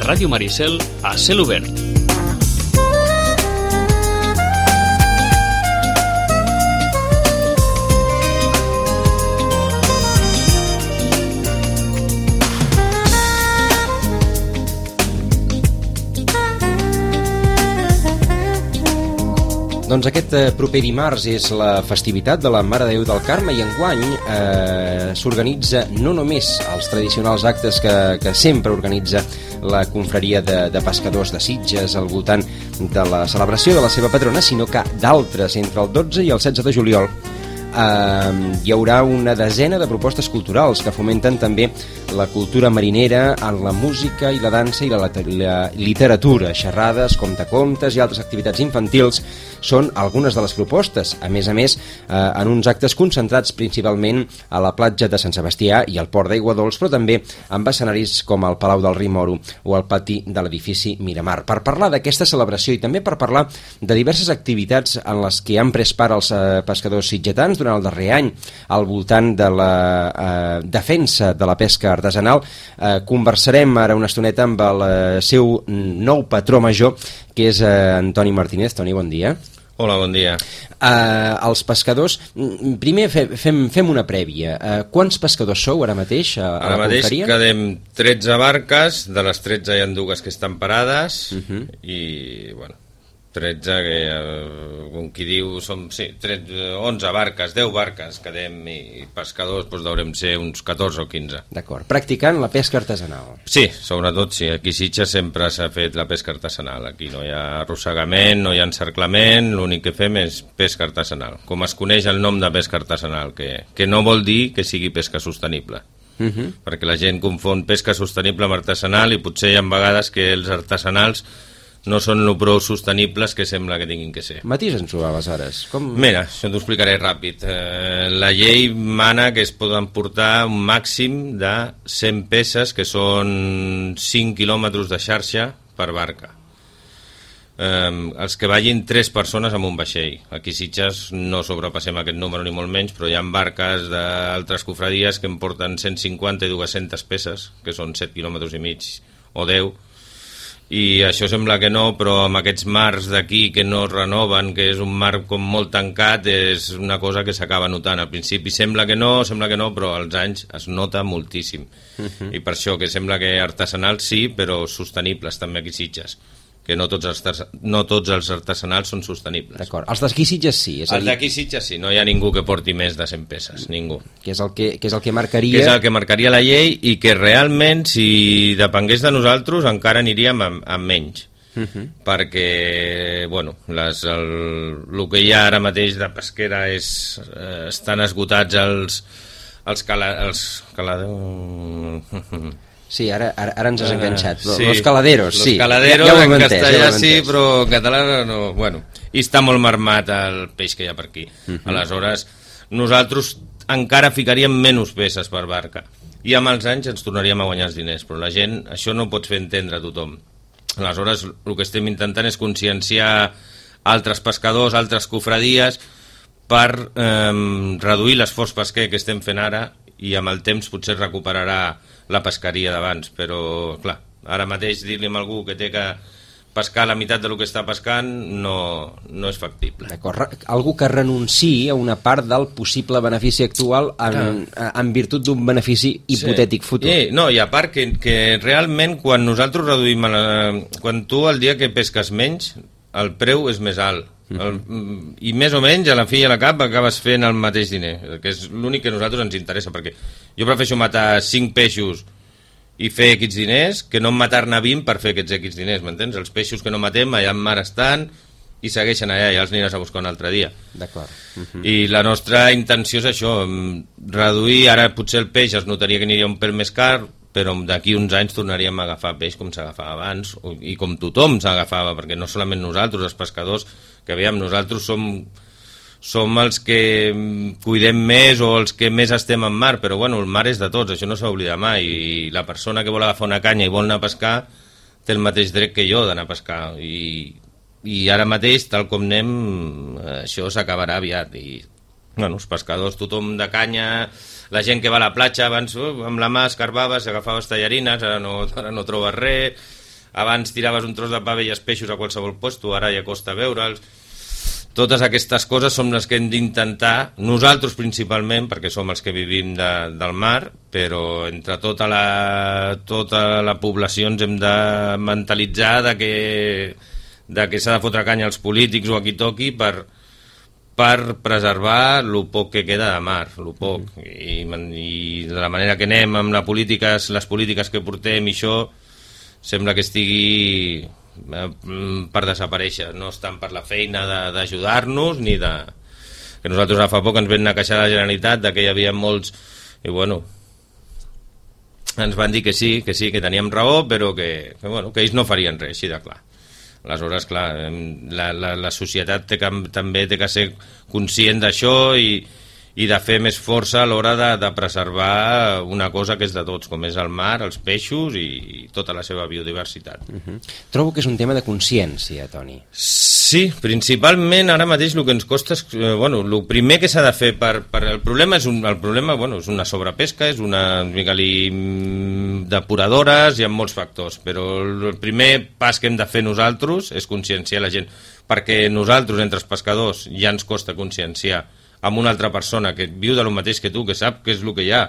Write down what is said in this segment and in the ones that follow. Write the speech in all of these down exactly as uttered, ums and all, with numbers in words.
Ràdio Maricel a cel obert. Doncs aquest eh, proper dimarts és la festivitat de la Mare de Déu del Carme i enguany eh, s'organitza no només els tradicionals actes que, que sempre organitza la confraria de, de pescadors de Sitges al voltant de la celebració de la seva patrona, sinó que d'altres entre el dotze i el setze de juliol eh, hi haurà una desena de propostes culturals que fomenten també la cultura marinera en la música i la dansa i la, la literatura, xerrades, contacontes i altres activitats infantils són algunes de les propostes, a més a més eh, en uns actes concentrats principalment a la platja de Sant Sebastià i al port d'Aigua Dols, però també amb escenaris com el Palau del Rimoro o el pati de l'edifici Miramar. Per parlar d'aquesta celebració i també per parlar de diverses activitats en les que han pres part els eh, pescadors sitgetans durant el darrer any al voltant de la eh, defensa de la pesca artesanal, eh, conversarem ara una estoneta amb el eh, seu nou patró major, que és eh, Antoni Martínez. Toni, bon dia. Hola, bon dia. Uh, els pescadors, primer fe, fem, fem una prèvia. Uh, quants pescadors sou ara mateix a, a ara la mateix confraria? quedem tretze barques, de les tretze hi ha dues que estan parades, uh-huh. i, bueno, tretze, que, eh, com qui diu, som, sí, tretze, onze barques, deu barques quedem, i pescadors doncs deurem ser uns catorze o quinze. D'acord, practicant la pesca artesanal. Sí, sobretot sí, aquí a Sitges sempre s'ha fet la pesca artesanal, aquí no hi ha arrossegament, no hi ha encerclament, l'únic que fem és pesca artesanal, com es coneix el nom de pesca artesanal, que, que no vol dir que sigui pesca sostenible. Uh-huh. Perquè la gent confon pesca sostenible amb artesanal i potser hi ha vegades que els artesanals no són lo prou sostenibles que sembla que tinguin que ser. Matisa'ns-ho, aleshores. Com... Mira, això t'ho explicaré ràpid. Eh, la llei mana que es poden portar un màxim de cent peces, que són cinc quilòmetres de xarxa per barca. Eh, els que vagin tres persones amb un vaixell. Aquí a Sitges no sobrepassem aquest número ni molt menys, però hi ha barques d'altres cofradies que en porten cent cinquanta i dues-centes peces, que són set quilòmetres i mig o deu, i això sembla que no, però amb aquests mars d'aquí que no es renoven, que és un mar com molt tancat, és una cosa que s'acaba notant. Al principi sembla que no, sembla que no, però als anys es nota moltíssim. Uh-huh. I per això que sembla que artesanals sí, però sostenibles també aquí a Sitges, que no tots els, no tots els artesanals són sostenibles. D'acord, els d'aquí Sitges sí. És els d'aquí Sitges sí, no hi ha ningú que porti més de cent peces, ningú. Que és el que, que, és el que marcaria... Que és el que marcaria la llei i que realment, si depengués de nosaltres, encara aniríem amb, amb menys. Uh-huh. Perquè, bueno, les, el, el que hi ha ara mateix de pesquera és, eh, estan esgotats els, els, cala, els caladors... Sí, ara, ara, ara ens has enganxat. Uh, sí. Los caladeros, sí. Los caladeros, ja, ja en entès, castellà ja sí, però en català no... Bueno, i està molt marmat el peix que hi ha per aquí. Uh-huh. Aleshores, nosaltres encara ficaríem menys peces per barca. I amb els anys ens tornaríem a guanyar els diners, però la gent, això no pots fer entendre a tothom. Aleshores, el que estem intentant és conscienciar altres pescadors, altres cofradies, per eh, reduir l'esforç pesquer que estem fent ara, i amb el temps potser recuperarà la pesqueria d'abans, però clar, ara mateix dir-li a algú que té que pescar la meitat del que està pescant no, no és factible. D'acord, algú que renunciï a una part del possible benefici actual en, en virtut d'un benefici hipotètic futur. Sí, no, i a part que, que realment quan nosaltres reduïm, la, quan tu el dia que pesques menys, el preu és més alt. El, i més o menys a la fi i a la cap acabes fent el mateix diner, que és l'únic que a nosaltres ens interessa, perquè jo prefereixo matar cinc peixos i fer aquests diners que no matar-ne vint per fer aquests aquests diners, m'entens? Els peixos que no matem allà en mar estan i segueixen allà, ja els aniràs a buscar un altre dia. D'acord. Uh-huh. I la nostra intenció és això, reduir, ara potser el peix es notaria que aniria un pèl més car, però d'aquí uns anys tornaríem a agafar peix com s'agafava abans, i com tothom s'agafava, perquè no solament nosaltres, els pescadors, que veiem, nosaltres som, som els que cuidem més o els que més estem en mar, però bueno, el mar és de tots, això no s'ha oblidat mai, i la persona que vol agafar una canya i vol anar a pescar té el mateix dret que jo d'anar a pescar, i, i ara mateix, tal com anem, això s'acabarà aviat, i bueno, els pescadors, tothom de canya, la gent que va a la platja abans uh, amb la mà escarbava, s'agafaves tallarines, ara no, ara no trobes res, abans tiraves un tros de pa, veies peixos a qualsevol puesto, ara ja costa veure'ls. Totes aquestes coses són les que hem d'intentar, nosaltres principalment, perquè som els que vivim de, del mar, però entre tota la, tota la població ens hem de mentalitzar de que, de que s'ha de fotre canya als polítics o a qui toqui per, per preservar el poc que queda de mar, el poc. I, i de la manera que anem amb la política, les polítiques que portem i això, sembla que estigui per desaparèixer, no estan per la feina d'ajudar-nos ni de... que nosaltres fa poc ens vam anar a queixar a la Generalitat de que hi havia molts i bueno ens van dir que sí, que sí, que teníem raó però que, que, bueno, que ells no farien res, així de clar. Aleshores, clar, la, la, la societat té que, també té que ser conscient d'això i, i de fer més força a l'hora de, de preservar una cosa que és de tots, com és el mar, els peixos i, i tota la seva biodiversitat. Uh-huh. Trobo que és un tema de consciència, Toni. Sí, principalment ara mateix el que ens costa és... Eh, bueno, el primer que s'ha de fer per, per... El problema és, un, el problema, bueno, és una sobrepesca, és una depuradores, hi ha molts factors, però el primer pas que hem de fer nosaltres és conscienciar la gent, perquè nosaltres, entre els pescadors, ja ens costa conscienciar amb una altra persona que viu de lo mateix que tu, que sap què és el que hi ha,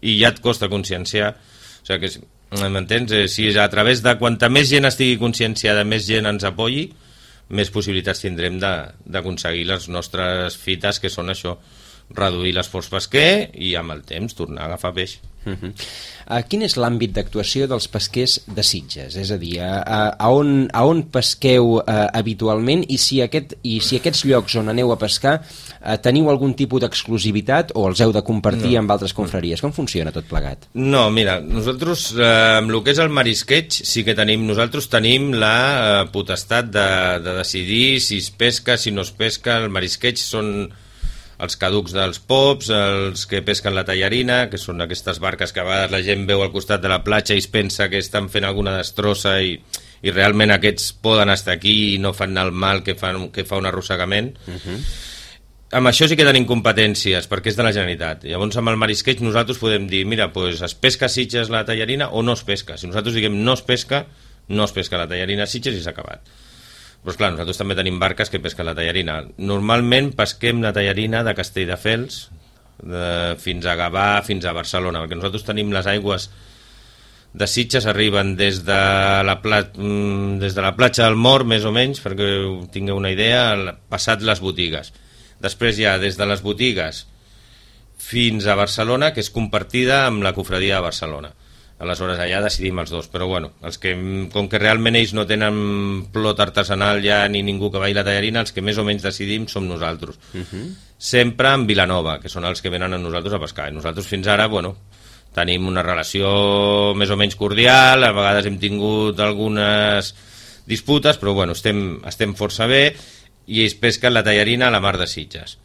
i ja et costa conscienciar. O sigui que, m'entens? Eh, si a través de quanta més gent estigui conscienciada, més gent ens apoyi, més possibilitats tindrem d'aconseguir les nostres fites, que són això, reduir l'esforç pesquer i amb el temps tornar a agafar peix. Uh-huh. uh, quin és l'àmbit d'actuació dels pesquers de Sitges? És a dir, a, a, a, on, a on pesqueu uh, habitualment i si, aquest, i si aquests llocs on aneu a pescar uh, teniu algun tipus d'exclusivitat o els heu de compartir no. amb altres confraries? Com funciona tot plegat? No, mira, nosaltres eh, amb el que és el marisqueig sí que tenim, nosaltres tenim la eh, potestat de, de decidir si es pesca, si no es pesca. El marisqueig són els caducs dels pops, els que pesquen la tallarina, que són aquestes barques que a vegades la gent veu al costat de la platja i es pensa que estan fent alguna destrossa i, i realment aquests poden estar aquí i no fan el mal que, fan, que fa un arrossegament. Uh-huh. Amb això sí que tenim competències, perquè és de la Generalitat. Llavors amb el marisqueig nosaltres podem dir, mira, pues, es pesca a Sitges la tallarina o no es pesca. Si nosaltres diguem no es pesca, no es pesca la tallarina a Sitges i s'ha acabat. Però clar, nosaltres també tenim barques que pesquen la tallarina. Normalment pesquem la tallarina de Castelldefels de, fins a Gavà, fins a Barcelona, perquè nosaltres tenim les aigües de Sitges, arriben des de la, plat, des de la platja del Mort, més o menys, perquè tingueu una idea, passat les botigues. Després ja, des de les botigues fins a Barcelona, que és compartida amb la cofradia de Barcelona. Aleshores allà decidim els dos, però bueno, els que, com que realment ells no tenen plot artesanal ja ni ningú que vagi la tallarina, els que més o menys decidim som nosaltres. Uh-huh. Sempre en Vilanova, que són els que venen a nosaltres a pescar. I nosaltres fins ara, bueno, tenim una relació més o menys cordial, a vegades hem tingut algunes disputes, però bueno, estem, estem força bé i ells pesquen la tallarina a la mar de Sitges.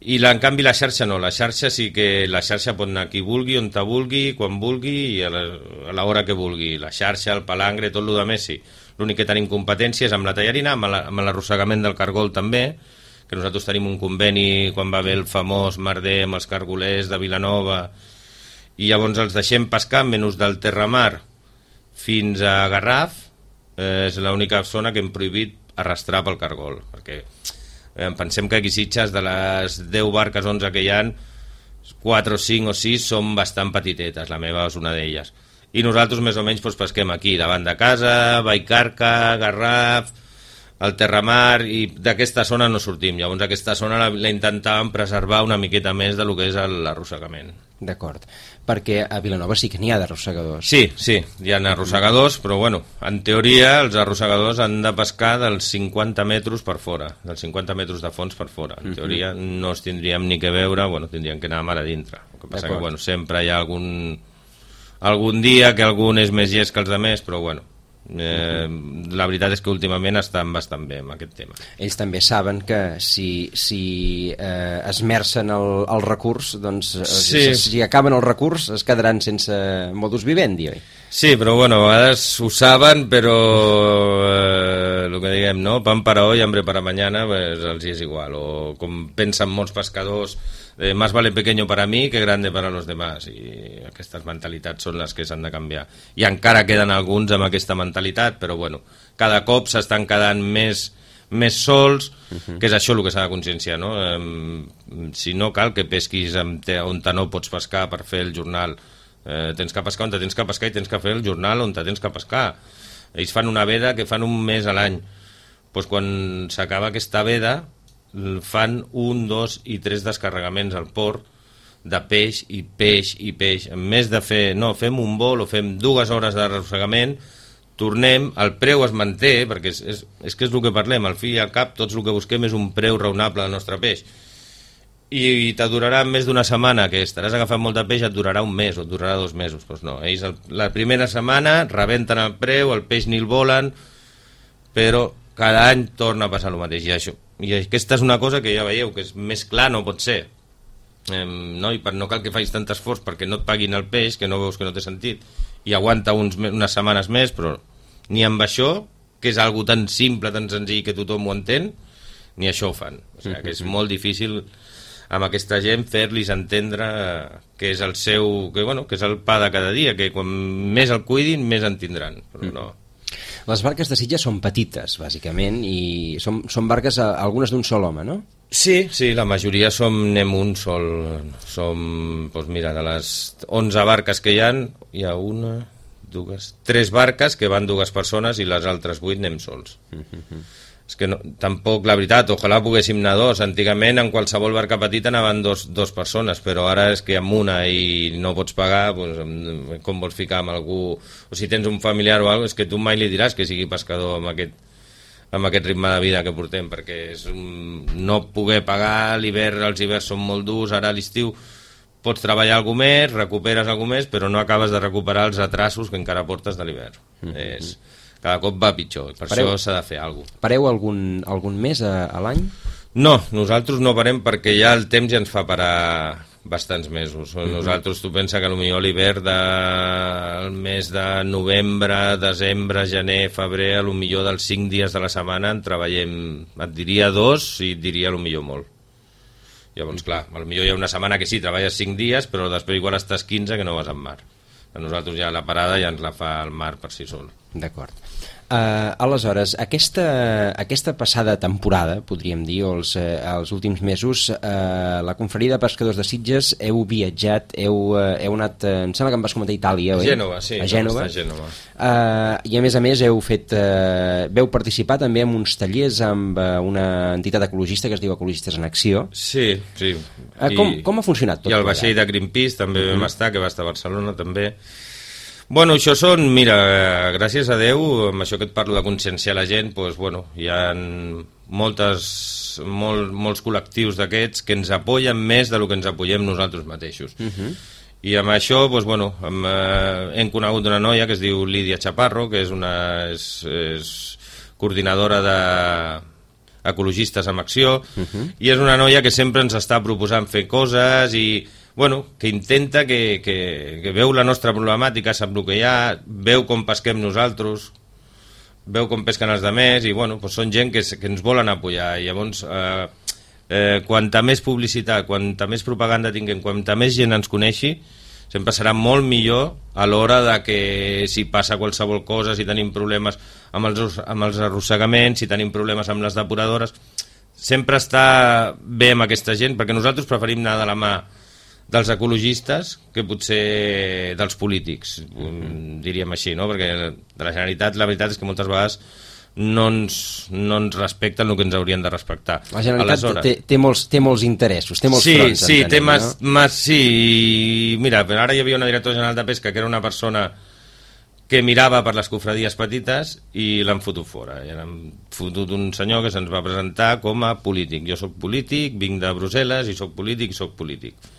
I la, en canvi la xarxa no, la xarxa sí que la xarxa pot anar qui vulgui, on te vulgui, quan vulgui i a l'hora que vulgui. La xarxa, el palangre, tot el més sí. L'únic que tenim competències amb la tallarina, amb l'arrossegament del cargol també, que nosaltres tenim un conveni quan va haver el famós merder amb els cargolers de Vilanova i llavors els deixem pescar menys del Terramar fins a Garraf. Eh, és l'única zona que hem prohibit arrastrar pel cargol, perquè Eh, pensem que aquí Sitges, de les deu barques, onze que hi ha, quatre o cinc o sis són bastant petitetes, la meva és una d'elles. I nosaltres més o menys doncs, pesquem aquí, davant de casa, Vallcarca, Garraf, el Terramar, i d'aquesta zona no sortim. Llavors aquesta zona la, la intentàvem preservar una miqueta més de lo que és l'arrossegament. D'acord, perquè a Vilanova sí que n'hi ha d'arrossegadors. Sí, sí, hi ha arrossegadors, però bueno, en teoria els arrossegadors han de pescar dels cinquanta metres per fora, dels cinquanta metres de fons per fora. En teoria no els tindríem ni que veure, bueno, tindríem que anar a mar a dintre. El que passa que, bueno, sempre hi ha algun, algun dia que algun és més llest que els altres, però bueno, Eh, la veritat és que últimament estan bastant bé amb aquest tema. Ells també saben que si, si eh, esmercen el, el recurs, doncs sí. si, si acaben el recurs es quedaran sense modus vivendi, oi? Sí, però bueno, a vegades ho saben, però eh, el que diguem, no? Pan para hoy, hambre para mañana, pues els és igual. O com pensen molts pescadors, eh, más vale pequeño para mí que grande para los demás. I aquestes mentalitats són les que s'han de canviar. I encara queden alguns amb aquesta mentalitat, però bueno, cada cop s'estan quedant més més sols, uh-huh. que és això el que s'ha de conscienciar, no? Eh, si no cal que pesquis on te no pots pescar per fer el jornal. Eh, tens que pescar on te tens que pescar i tens que fer el jornal on te tens que pescar. Ells fan una veda que fan un mes a l'any. Pues quan s'acaba aquesta veda fan un, dos i tres descarregaments al port de peix i peix i peix. En més de fer, no, fem un vol o fem dues hores d'arrossegament, tornem, el preu es manté, perquè és, és, és que és el que parlem, al fi i al cap tots el que busquem és un preu raonable del nostre peix. I te durarà més d'una setmana, que estaràs agafant molt de peix, et durarà un mes o et durarà dos mesos. Doncs no, ells el, la primera setmana rebenten el preu, el peix ni el volen, però cada any torna a passar el mateix. I, això, i aquesta és una cosa que ja veieu, que és més clar no pot ser. Eh, no? I per, no cal que facis tant esforç perquè no et paguin el peix, que no veus que no té sentit, i aguanta uns, unes setmanes més, però ni amb això, que és algo tan simple, tan senzill que tothom ho entén, ni això ho fan. O sigui, que és molt difícil amb aquesta gent fer-los entendre que és el seu, que, bueno, que és el pa de cada dia, que quan més el cuidin més en tindran, però no. Les barques de Sitges són petites, bàsicament, i són, són barques, algunes d'un sol home, no? Sí, sí, la majoria som, anem un sol, som, doncs mira, de les onze barques que hi ha, hi ha una, dues, tres barques que van dues persones i les altres vuit anem sols. Mm-hmm. És que no, tampoc, la veritat, ojalà poguéssim anar dos. Antigament en qualsevol barca petita anaven dos, dos persones, però ara és que amb una i no pots pagar, doncs, com vols ficar amb algú, o si tens un familiar o alguna cosa, és que tu mai li diràs que sigui pescador amb aquest, amb aquest ritme de vida que portem, perquè és un, no poder pagar, l'hivern, els hiverns són molt durs, ara a l'estiu pots treballar alguna més, recuperes alguna més, però no acabes de recuperar els atrasos que encara portes de l'hivern. Mm-hmm. És... cada cop va pitjor, per pareu, això s'ha de fer alguna cosa. Pareu algun, algun mes a, a l'any? No, nosaltres no parem perquè ja el temps ja ens fa parar bastants mesos. Mm-hmm. Nosaltres, tu pensa que potser l'hivern del mes de novembre, desembre, gener, febrer, a lo millor dels cinc dies de la setmana en treballem, et diria dos i et diria a lo millor molt. Llavors, clar, a lo millor hi ha una setmana que sí, treballes cinc dies, però després igual estàs quinze que no vas en mar. A nosaltres ja la parada ja ens la fa el mar per si sol. D'acord. Uh, aleshores, aquesta, aquesta passada temporada, podríem dir, o els, uh, els últims mesos, uh, la confraria de pescadors de Sitges heu viatjat, heu, uh, heu anat, uh, em sembla que em vas comentar a Itàlia, oi? A Gènova, sí. A Gènova. A Gènova. Uh, I a més a més heu fet, uh, veu participar també en uns tallers amb uh, una entitat ecologista que es diu Ecologistes en Acció. Sí, sí. Uh, com, com ha funcionat tot? I el vaixell de Greenpeace també mm-hmm. vam estar, que va estar a Barcelona també. Bueno, això són, mira, gràcies a Déu, amb això que et parlo de conscienciar la gent, doncs, bueno, hi ha moltes, molt, molts col·lectius d'aquests que ens apoyen més del que ens apoyem nosaltres mateixos. Uh-huh. I amb això, doncs, bueno, hem, eh, hem conegut una noia que es diu Lídia Chaparro, que és una és, és coordinadora de ecologistes en acció, uh-huh. i és una noia que sempre ens està proposant fer coses i bueno, que intenta, que, que, que veu la nostra problemàtica, sap el que hi ha, veu com pesquem nosaltres, veu com pesquen els altres, i bueno, doncs són gent que, que ens volen apoyar. I llavors, eh, eh, quanta més publicitat, quanta més propaganda tinguem, quanta més gent ens coneixi, sempre serà molt millor a l'hora de que si passa qualsevol cosa, si tenim problemes amb els, amb els arrossegaments, si tenim problemes amb les depuradores, sempre està bé amb aquesta gent, perquè nosaltres preferim anar de la mà dels ecologistes que potser dels polítics, mm-hmm. diríem així, no? Perquè de la Generalitat la veritat és que moltes vegades no ens, no ens respecten el que ens haurien de respectar. La Generalitat té, té, molts, té molts interessos, té molts sí, fronts. Sí, entenem, té mas, no? mas, sí, mira, ara hi havia una directora general de pesca que era una persona que mirava per les cofradies petites i l'han fotut fora. I han fotut un senyor que se'ns va presentar com a polític. Jo sóc polític, vinc de Brussel·les i sóc polític i sóc polític.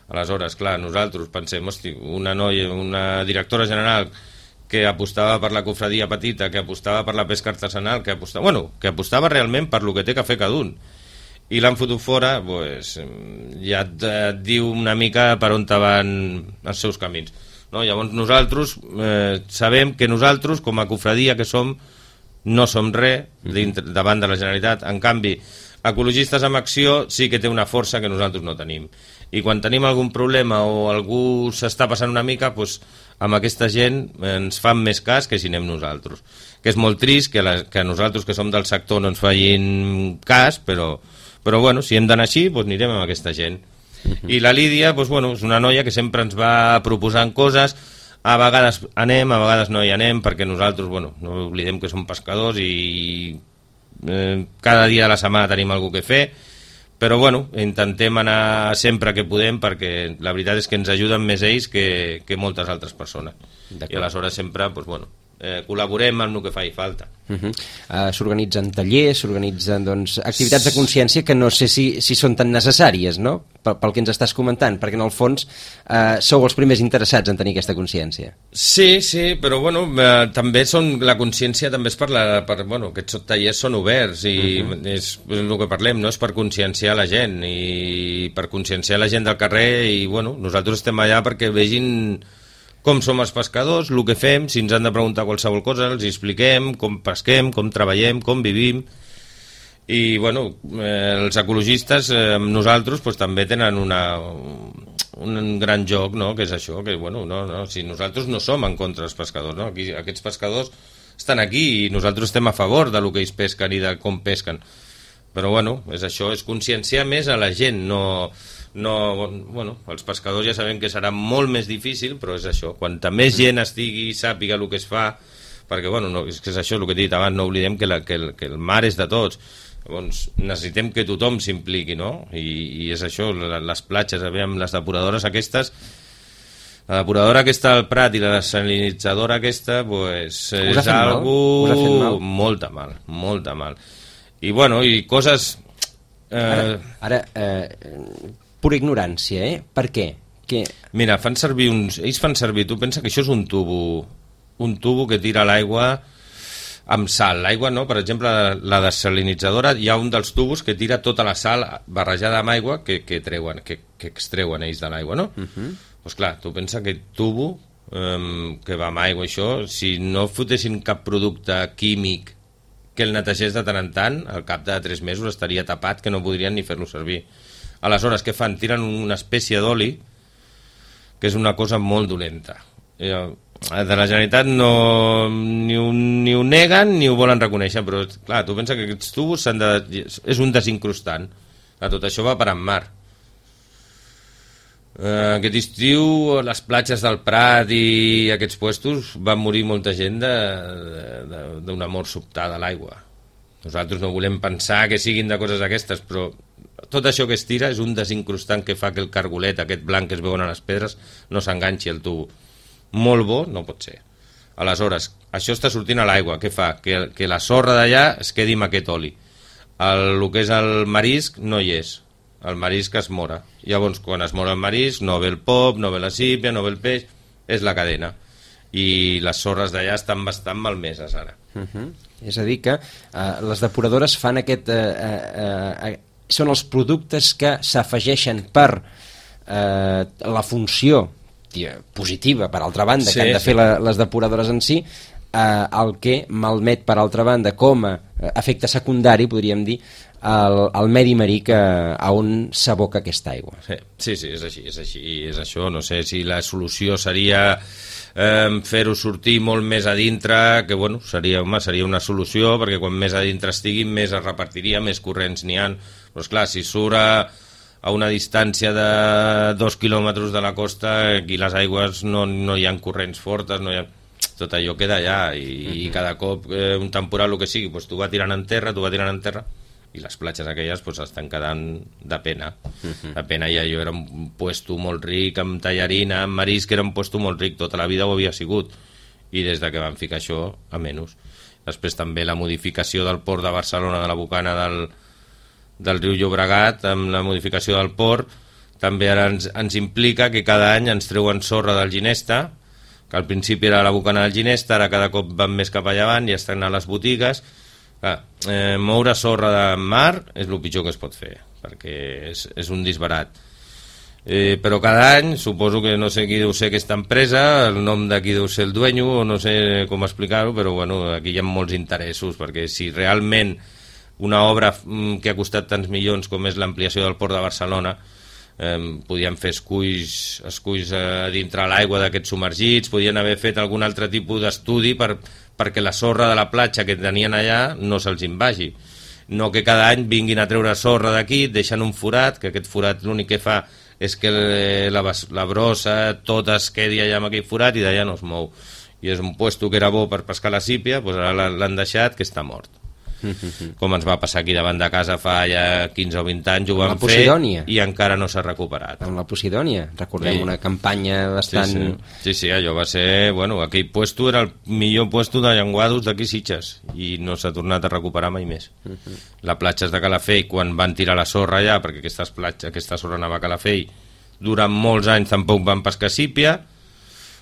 Aleshores, clar, nosaltres pensem, hosti, una noia, una directora general que apostava per la cofradia petita, que apostava per la pesca artesanal, que apostava, bueno, que apostava realment per lo que té que fer cada un. I l'han fotut fora, pues, ja et, et diu una mica per on van els seus camins. No? Llavors nosaltres eh, sabem que nosaltres, com a cofradia que som, no som res davant de la Generalitat. En canvi, Ecologistes en Acció sí que té una força que nosaltres no tenim. I quan tenim algun problema o algú s'està passant una mica, doncs, amb aquesta gent ens fan més cas que si anem nosaltres. Que és molt trist que, la, que nosaltres que som del sector no ens facin cas, però, però bueno, si hem d'anar així, doncs anirem amb aquesta gent. Uh-huh. I la Lídia, doncs, bueno, és una noia que sempre ens va proposant coses, a vegades anem, a vegades no hi anem, perquè nosaltres, bueno, no oblidem que som pescadors i eh, cada dia de la setmana tenim alguna que fer, però bueno, intentem anar sempre que podem, perquè la veritat és que ens ajuden més ells que, que moltes altres persones. I aleshores sempre, doncs, bueno, eh, col·laborem amb el que faci falta. Uh-huh. uh, S'organitzen tallers, s'organitzen doncs, activitats de consciència que no sé si, si són tan necessàries, no? Pel, pel que ens estàs comentant, perquè en el fons eh, sou els primers interessats en tenir aquesta consciència. Sí, sí, però bueno, eh, també són, la consciència també és per, la, per bueno, aquests tallers són oberts i uh-huh. és, és el que parlem, no? És per conscienciar la gent i per conscienciar la gent del carrer i bueno, nosaltres estem allà perquè vegin com som els pescadors, el que fem, si ens han de preguntar qualsevol cosa, els expliquem com pesquem, com treballem, com vivim. I bueno, eh, els ecologistes, eh, nosaltres, pues, també tenen una, un gran joc, no? Que és això, que bueno, no, no, si nosaltres no som en contra dels pescadors, no? Aquí, aquests pescadors estan aquí i nosaltres estem a favor de lo que ells pesquen i de com pesquen. Però bueno, és això, és conscienciar més a la gent, no... no, bueno, els pescadors ja sabem que serà molt més difícil, però és això, quanta més gent estigui i sàpiga el que es fa, perquè bueno, no, és que és això el que he dit abans, no oblidem que, la, que, el, que el mar és de tots. Llavors necessitem que tothom s'impliqui, no? I, i és això, les platges, aviam, les depuradores aquestes, la depuradora aquesta al Prat i la desalinitzadora aquesta, pues, és algo mal? molta mal, molta mal. I bueno, i coses... Eh... Ara, ara eh, pura ignorància, eh? Per què? Que... Mira, fan servir uns... Ells fan servir, tu pensa que això és un tubo, un tubo que tira l'aigua amb sal. L'aigua, no? Per exemple, la desalinitzadora, hi ha un dels tubos que tira tota la sal barrejada amb aigua que, que, treuen, que, que extreuen ells de l'aigua, no? Doncs uh-huh. pues clar, tu pensa que aquest tubo um, que va amb aigua, això, si no fotessin cap producte químic que el netegés de tant en tant, al cap de tres mesos estaria tapat, que no podrien ni fer-lo servir. Aleshores, què fan? Tiren una espècie d'oli, que és una cosa molt dolenta. De la Generalitat no, ni, ho, ni ho neguen ni ho volen reconèixer, però clar, tu pensa que aquests tubos s'han de, és un desincrustant. Tot això va per en mar. Uh, aquest estiu, les platges del Prat i aquests puestos van morir molta gent d'una mort sobtada a l'aigua. Nosaltres no volem pensar que siguin de coses aquestes, però tot això que es tira és un desincrustant que fa que el cargolet, aquest blanc que es veuen a les pedres, no s'enganxi al tubo. Molt bo no pot ser. Aleshores, això està sortint a l'aigua. Què fa? Que, que la sorra d'allà es quedi amb aquest oli. El, el que és el marisc no hi és. El marisc es mora. Llavors, quan es mora el marisc, no ve el pop, no ve la sípia, no ve el peix, és la cadena. I les sorres d'allà estan bastant malmeses ara. Uh-huh. És a dir que uh, les depuradores fan aquest... Uh, uh, uh, són els productes que s'afegeixen per uh, la funció tia, positiva, per altra banda, sí, que han de fer la, les depuradores en si, uh, el que malmet, per altra banda, com a efecte secundari, podríem dir, el, el medi marí que, a on s'aboca aquesta aigua. Sí, sí, sí, és així, és així, és això. No sé si la solució seria eh, fer-ho sortir molt més a dintre, que bueno, seria, home, seria una solució, perquè quan més a dintre estiguin, més es repartiria, més corrents n'hi ha. Però esclar, si surt a, a una distància de dos quilòmetres de la costa, aquí les aigües no, no hi ha corrents fortes, no hi ha... tot allò queda allà i, uh-huh. i cada cop eh, un temporal, el que sigui, pues, tu va tirant en terra, tu va tirant en terra, i les platges aquelles pues, estan quedant de pena. Uh-huh. De pena, i allò era un puesto molt ric, amb tallarina, amb marisc, era un puesto molt ric, tota la vida ho havia sigut, i des de que van ficar això, a menys. Després també la modificació del port de Barcelona, de la bocana del, del riu Llobregat, amb la modificació del port, també ara ens, ens implica que cada any ens treuen sorra del Ginesta, que al principi era la bocana del Ginesta, ara cada cop van més cap allà avant i estan a les botigues. Clar, eh, moure sorra de mar és el pitjor que es pot fer, perquè és, és un disbarat. Eh, però cada any, suposo que no sé qui deu ser aquesta empresa, el nom de qui deu ser el dueño, o no sé com explicar-ho, però bueno, aquí hi ha molts interessos, perquè si realment una obra que ha costat tants milions com és l'ampliació del port de Barcelona, eh, podien fer esculls, esculls a dintre l'aigua d'aquests submergits, podien haver fet algun altre tipus d'estudi per, perquè la sorra de la platja que tenien allà no se'ls invagi. No que cada any vinguin a treure sorra d'aquí, deixen un forat, que aquest forat l'únic que fa és que la, la brossa tota es quedi allà amb aquell forat i d'allà no es mou. I és un puesto que era bo per pescar la sípia, doncs ara l'han deixat que està mort. Com ens va passar aquí davant de casa fa ja quinze o vint anys, ho vam fer i encara no s'ha recuperat. Amb la Posidònia, recordem, sí. Una campanya bastant... Sí, sí, sí, sí, allò va ser... Bueno, aquell puesto era el millor puesto de llenguados d'aquí Sitges i no s'ha tornat a recuperar mai més. Uh -huh. La platja de Calafell, quan van tirar la sorra allà, perquè aquestes platges, aquesta sorra anava a Calafell, durant molts anys tampoc van pescar sípia.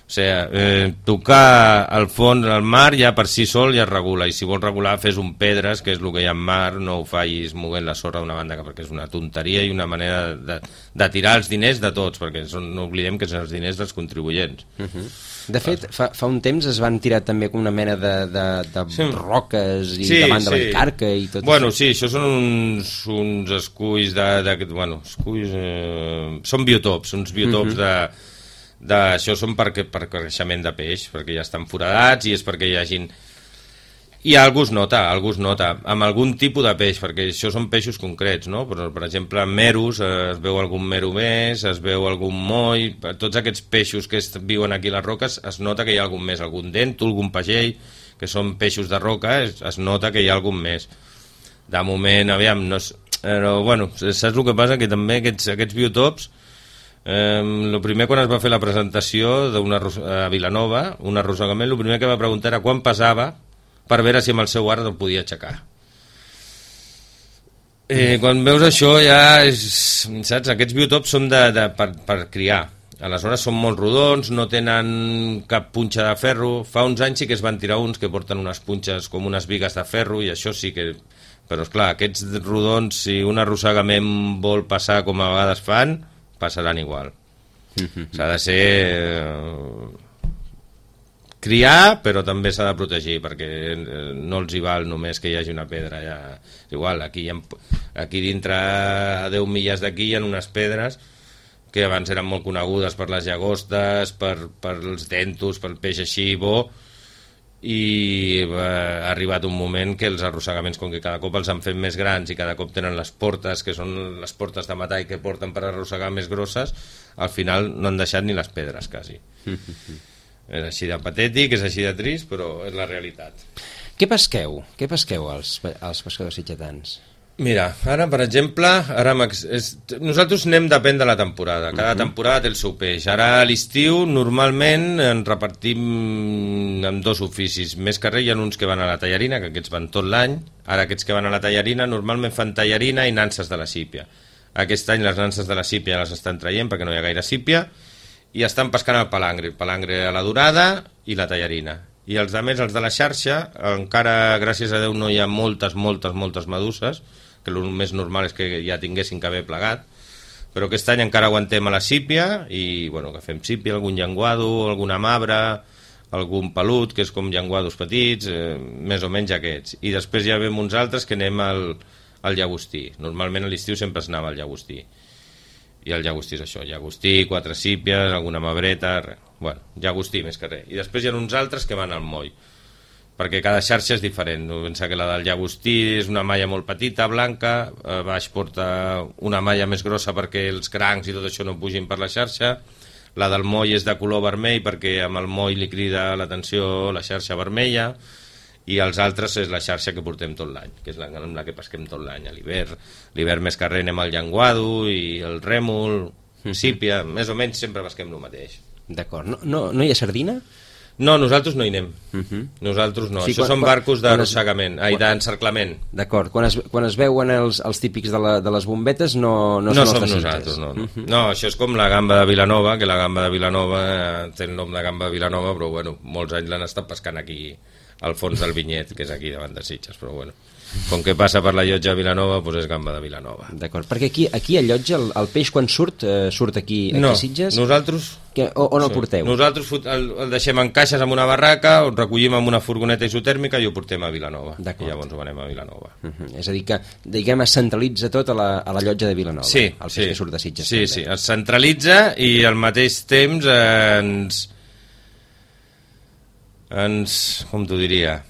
O sigui, eh, tocar el fons del mar ja per si sol ja es regula, i si vols regular fes un pedres, que és el que hi ha en mar, no ho fallis moguent la sorra d'una banda, perquè és una tonteria i una manera de, de tirar els diners de tots, perquè són, no oblidem que són els diners dels contribuents. Uh -huh. De fet, fa, fa un temps es van tirar també com una mena de, de, de sí. roques i sí, davant de sí. l'Encarca i tot bueno, això. Sí, això són uns, uns esculls de, de, bueno, esculls, eh, són biotops, uns biotops uh -huh. de De, això són per, per creixement de peix, perquè ja estan foradats i és perquè hi hagin... I algú es nota, algú es nota, amb algun tipus de peix, perquè això són peixos concrets, no? Per, per exemple, en meros eh, es veu algun mero més, es veu algun moll, tots aquests peixos que es, viuen aquí a les roques es nota que hi ha algun més, algun dèntol, algun pagell, que són peixos de roca, es, es nota que hi ha algun més. De moment, aviam, no és... Però, bueno, saps el que passa? Que també aquests, aquests biotops, el eh, primer quan es va fer la presentació d'una a Vilanova, un arrossegament, el primer que va preguntar era quan pesava per veure si amb el seu art el podia aixecar. Eh, quan veus això ja és, saps, aquests biotops són de, de, per, per criar, aleshores són molt rodons, no tenen cap punxa de ferro. Fa uns anys sí que es van tirar uns que porten unes punxes com unes bigues de ferro i això sí que... Però esclar, aquests rodons, si un arrossegament vol passar com a vegades fan, passaran igual. S'ha de ser eh, criar, però també s'ha de protegir, perquè no els hi val només que hi hagi una pedra. Ja, igual, aquí, ha, aquí dintre a deu milles d'aquí hi ha unes pedres que abans eren molt conegudes per les llagostes, per, per els dentos, pel peix així bo, i ha arribat un moment que els arrossegaments, com que cada cop els han fet més grans i cada cop tenen les portes, que són les portes de metall que porten per arrossegar més grosses, al final no han deixat ni les pedres, quasi. És així de patètic, és així de trist, però és la realitat. Què pesqueu? Què pesqueu els, els pescadors sitgetans? Mira, ara, per exemple, ara és, nosaltres anem depèn de la temporada. Cada uh -huh. temporada té el seu peix. Ara a l'estiu normalment en repartim en dos oficis. Més que res hi ha uns que van a la tallarina, que aquests van tot l'any. Ara aquests que van a la tallarina normalment fan tallarina i nanses de la sípia. Aquest any les nanses de la sípia les estan traient perquè no hi ha gaire sípia i estan pescant el palangre. El palangre a la dorada i la tallarina. I els altres, els de la xarxa, encara, gràcies a Déu, no hi ha moltes, moltes, moltes meduses, que el més normal és que ja tinguessin que haver plegat, però aquest any encara aguantem a la sípia i bueno, que fem sípia, algun llenguado, alguna mabra, algun pelut, que és com llenguados petits, eh, més o menys aquests. I després ja veiem uns altres que anem al, al llagostí. Normalment a l'estiu sempre es anava al llagostí. I el llagostí és això, llagostí, quatre sípies, alguna mabreta, res. Bueno, llagostí més que res. I després hi ha uns altres que van al moll, perquè cada xarxa és diferent. Pensa que la del llagostí és una malla molt petita, blanca, a baix porta una malla més grossa perquè els crancs i tot això no pugin per la xarxa. La del moll és de color vermell perquè amb el moll li crida l'atenció la xarxa vermella, i els altres és la xarxa que portem tot l'any, que és la, amb la que pesquem tot l'any a l'hivern. L'hivern més que res anem al llenguado i el rèmol, sípia, més o menys sempre pesquem el mateix. D'acord. No, no, no hi ha sardina? No, nosaltres no hi anem. Uh -huh. Nosaltres no. Sí, Això quan, són barcos d'arrossegament, ai, d'encerclament. D'acord. Quan, es, quan es veuen els, els típics de, la, de les bombetes, no, no, no són som nosaltres. No, no. Uh -huh. no, això és com la gamba de Vilanova, que la gamba de Vilanova té el nom de gamba de Vilanova, però bueno, molts anys l'han estat pescant aquí al fons del vinyet, que és aquí davant de Sitges, però bueno. com que passa per la llotja de Vilanova, doncs és gamba de Vilanova. D'acord, perquè aquí, aquí a Llotja el, el peix quan surt, eh, surt aquí, aquí no, a Sitges? nosaltres... Que, o, on el porteu? Nosaltres el, el deixem en caixes amb una barraca, el recollim amb una furgoneta isotèrmica i ho portem a Vilanova. I llavors ho anem a Vilanova. Uh -huh. És a dir que, diguem, es centralitza tot a la, a la llotja de Vilanova. Sí, el peix sí. que surt de Sitges. Sí, també. sí, es centralitza i al mateix temps eh, ens... ens... com t'ho diria?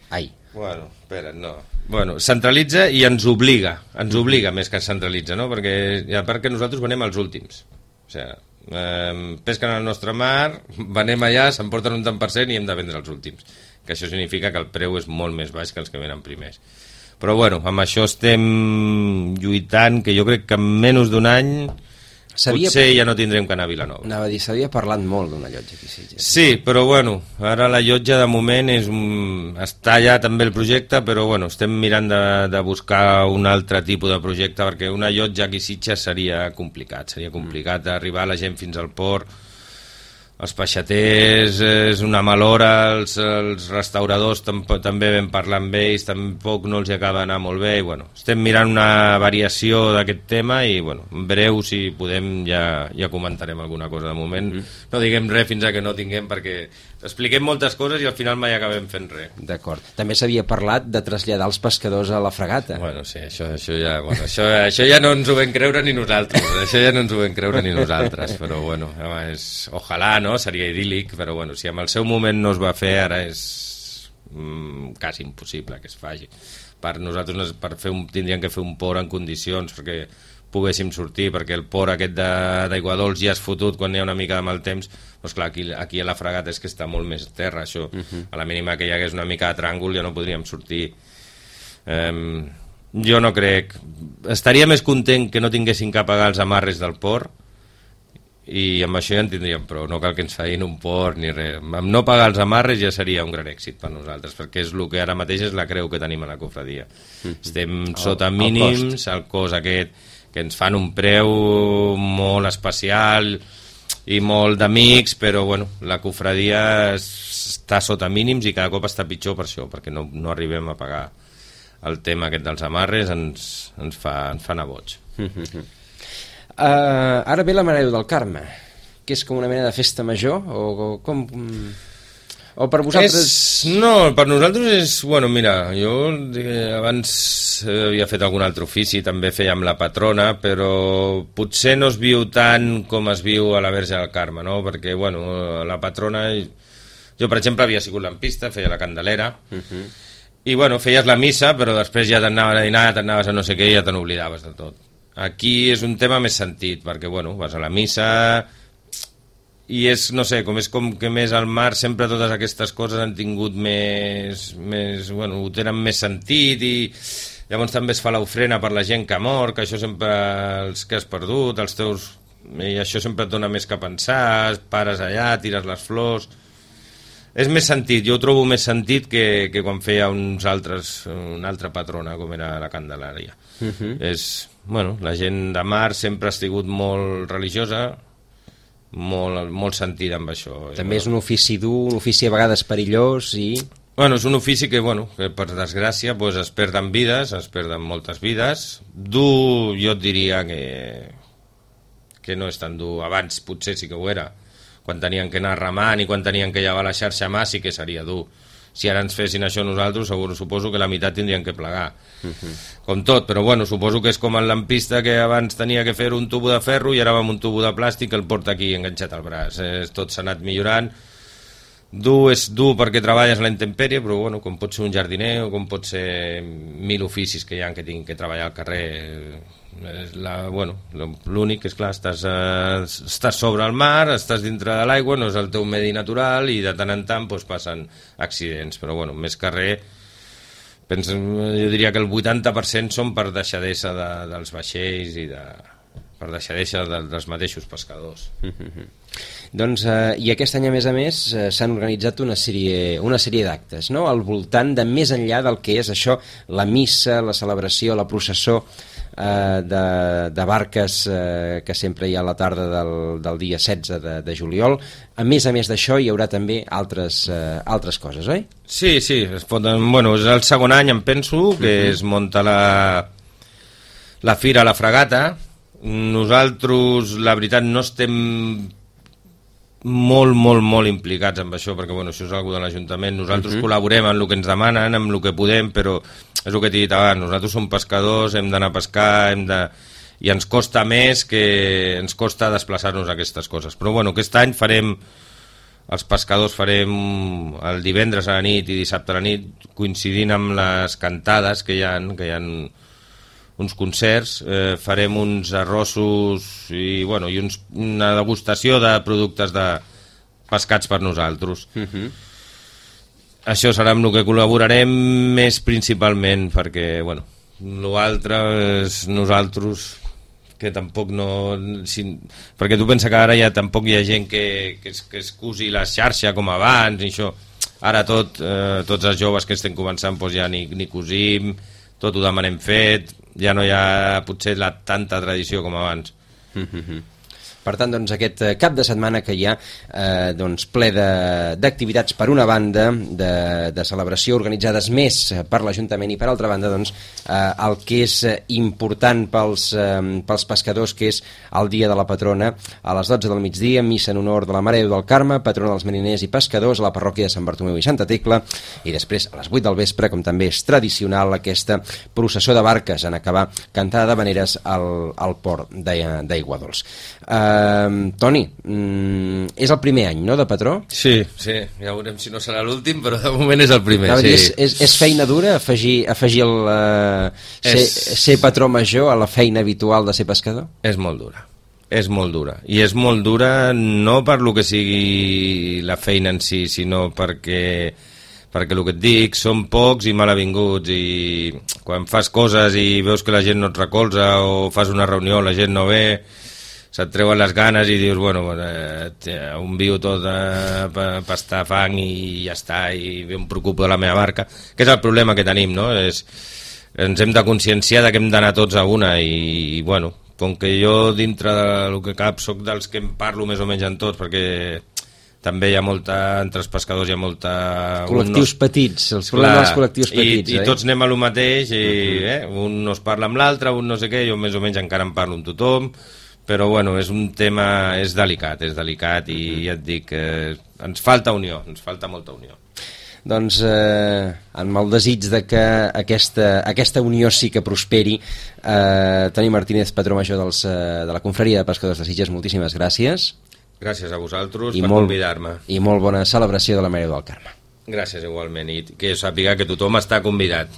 Ai. Bueno, espera, no. Bueno, centralitza i ens obliga, ens obliga més que centralitza, no? Perquè, a part que nosaltres venem els últims. O sigui, eh, pesquen al nostre mar, venem allà, s'emporten un tant per cent i hem de vendre els últims. Que això significa que el preu és molt més baix que els que venen primers. Però bueno, amb això estem lluitant, que jo crec que en menys d'un any potser ja no tindrem que anar a Vilanova. Anava a dir, s'havia parlat molt d'una llotja aquí, sí. Sí, però bueno, ara la llotja de moment és un... està allà també el projecte, però bueno, estem mirant de, de buscar un altre tipus de projecte, perquè una llotja aquí a Sitges seria complicat, seria complicat arribar la gent fins al port. Els peixaters és una malora, els, els restauradors tampoc, també vam parlar amb ells, tampoc no els acaba d'anar molt bé, i bueno, estem mirant una variació d'aquest tema i bueno, en breu si podem ja, ja comentarem alguna cosa. De moment mm. no diguem res fins a que no tinguem, perquè expliquem moltes coses i al final mai acabem fent res. D'acord. També s'havia parlat de traslladar els pescadors a la fregata. Bueno, sí, això, això, ja, bueno, això, això ja no ens ho vam creure ni nosaltres, això ja no ens ho vam creure ni nosaltres, però bueno, és, ojalà, no? Seria idíl·lic, però bueno, si en el seu moment no es va fer, ara és mm, quasi impossible que es faci. Per nosaltres per fer un, tindríem que fer un port en condicions perquè poguéssim sortir, perquè el port aquest d'Aigua Dols ja és fotut quan hi ha una mica de mal temps, doncs clar, aquí, aquí a la fregata és que està molt més terra, això. Uh-huh. A la mínima que hi hagués una mica de tràngol ja no podríem sortir. Um, jo no crec... Estaria més content que no tinguessin que pagar els amarres del port, i amb això ja en tindríem prou, no cal que ens feien un port ni res. Amb no pagar els amarres ja seria un gran èxit per nosaltres, perquè és el que ara mateix és la creu que tenim a la cofradia. Mm-hmm. Estem sota el, mínims, el cost. el cost aquest, que ens fan un preu molt especial i molt d'amics, però bueno, la cofradia està sota mínims i cada cop està pitjor per això, perquè no, no arribem a pagar el tema aquest dels amarres, ens, ens, fa, ens fa anar boig. Mm-hmm. Uh, ara ve la Mare de Déu del Carme, que és com una mena de festa major, o, o com... O per vosaltres... És, no, per nosaltres és... Bueno, mira, jo eh, abans havia fet algun altre ofici, també feia amb la patrona, però potser no es viu tant com es viu a la Verge del Carme, no? Perquè, bueno, la patrona... Jo, per exemple, havia sigut lampista, feia la Candelera, uh-huh. i, bueno, feies la missa, però després ja t'anaves a dinar, t'anaves a no sé què i ja te n'oblidaves de tot. Aquí és un tema més sentit, perquè, bueno, vas a la missa i és, no sé, com és com que més al mar sempre totes aquestes coses han tingut més, més bueno, ho tenen més sentit i llavors també es fa l'ofrena per la gent que ha mort, que això sempre, els que has perdut, els teus... i això sempre et dona més que pensar, pares allà, tires les flors... És més sentit, jo ho trobo més sentit que, que quan feia uns altres, una altra patrona, com era la Candelària. Uh-huh. És, bueno, la gent de mar sempre ha sigut molt religiosa, molt, molt sentida amb això. També és un ofici dur, un ofici a vegades perillós i... Bueno, és un ofici que, bueno, que per desgràcia pues, es perden vides, es perden moltes vides. Dur, jo et diria que, que no és tan dur. Abans potser sí que ho era. Quan tenien que anar remant i quan tenien que llevar la xarxa a mà sí que seria dur. Si ara ens fessin això nosaltres, segur, suposo que la meitat tindrien que plegar. Uh-huh. Com tot, però bueno, suposo que és com el lampista que abans tenia que fer un tubo de ferro i ara va amb un tubo de plàstic que el porta aquí enganxat al braç. Eh, tot s'ha anat millorant. Dur és dur perquè treballes a la intempèrie, però bueno, com pot ser un jardiner o com pot ser mil oficis que hi ha que tinguin que treballar al carrer... La, bueno, l'únic és clar, estàs, eh, estàs sobre el mar, estàs dintre de l'aigua, no és el teu medi natural i de tant en tant doncs, passen accidents, però bueno, més que res penso, jo diria que el vuitanta per cent són per deixadesa de, dels vaixells i de... per deixadesa dels mateixos pescadors. Mm-hmm. Doncs, eh, i aquest any, a més a més, eh, s'han organitzat una sèrie, una sèrie d'actes, no?, al voltant de més enllà del que és això, la missa, la celebració, la processó eh, de, de barques eh, que sempre hi ha a la tarda del, del dia setze de, de juliol. A més a més d'això, hi haurà també altres, eh, altres coses, oi? Sí, sí, es poden, bueno, és el segon any, em penso, que mm-hmm. es munta la, la fira a la Fragata. Nosaltres, la veritat, no estem molt, molt, molt implicats amb això, perquè bueno, això és algo de l'Ajuntament. Nosaltres uh-huh. col·laborem en el que ens demanen, amb el que podem, però és el que t'he dit abans, nosaltres som pescadors, hem d'anar a pescar, hem de... i ens costa més que ens costa desplaçar-nos a aquestes coses. Però bueno, aquest any farem, els pescadors farem el divendres a la nit i dissabte a la nit, coincidint amb les cantades que hi ha, que hi ha uns concerts, eh, farem uns arrossos i, bueno, i uns, una degustació de productes de pescats per nosaltres. Uh-huh. Això serà amb el que col·laborarem més principalment, perquè, bueno, l'altre és nosaltres, que tampoc no... Si, perquè tu pensa que ara ja tampoc hi ha gent que, que, es, que es cusi la xarxa com abans, i això. Ara tot, eh, tots els joves que estem començant doncs ja ni, ni cosim, tot ho demanem fet, ja no hi ha potser la tanta tradició com abans. Mm-hmm. Per tant, doncs, aquest cap de setmana que hi ha eh, doncs, ple d'activitats per una banda, de, de celebració organitzades més per l'Ajuntament i per altra banda doncs, eh, el que és important pels, eh, pels pescadors, que és el dia de la patrona a les dotze del migdia, missa en honor de la Mare de Déu del Carme, patrona dels mariners i pescadors a la parròquia de Sant Bartomeu i Santa Tecla, i després a les vuit del vespre, com també és tradicional, aquesta processó de barques en acabar cantada d'habaneres al, al port d'Aiguadols. Eh, Uh, Toni, mm, és el primer any, no?, de patró? Sí, sí, ja veurem si no serà l'últim, però de moment és el primer. Sí. És, és, és feina dura afegir, afegir el uh, ser, és... ser patró major a la feina habitual de ser pescador? És molt dura, és molt dura. I és molt dura no per lo que sigui la feina en si, sinó perquè... perquè el que et dic, són pocs i mal avinguts, i quan fas coses i veus que la gent no et recolza o fas una reunió, la gent no ve, se't treuen les ganes i dius, bueno, eh, un viu tot eh, per pastar fang i ja està, i em preocupo de la meva barca, que és el problema que tenim, no? És, ens hem de conscienciar de que hem d'anar tots a una, i, i bueno, com que jo dintre del que cap soc dels que em parlo més o menys en tots, perquè també hi ha molta, entre els pescadors hi ha molta... Col·lectius no... petits, els problemes dels col·lectius petits. I, i tots anem a lo mateix, i uh-huh. eh, un no es parla amb l'altre, un no sé què, jo més o menys encara em parlo amb tothom, però bueno, és un tema, és delicat, és delicat, i ja et dic, eh, ens falta unió, ens falta molta unió. Doncs eh, amb el desig de que aquesta, aquesta unió sí que prosperi, eh, Toni Martínez, patró major dels, eh, de la Confraria de Pescadors de Sitges, moltíssimes gràcies. Gràcies a vosaltres I per molt, convidar-me. I molt bona celebració de la Mare del Carme. Gràcies igualment, i que sàpiga que tothom està convidat.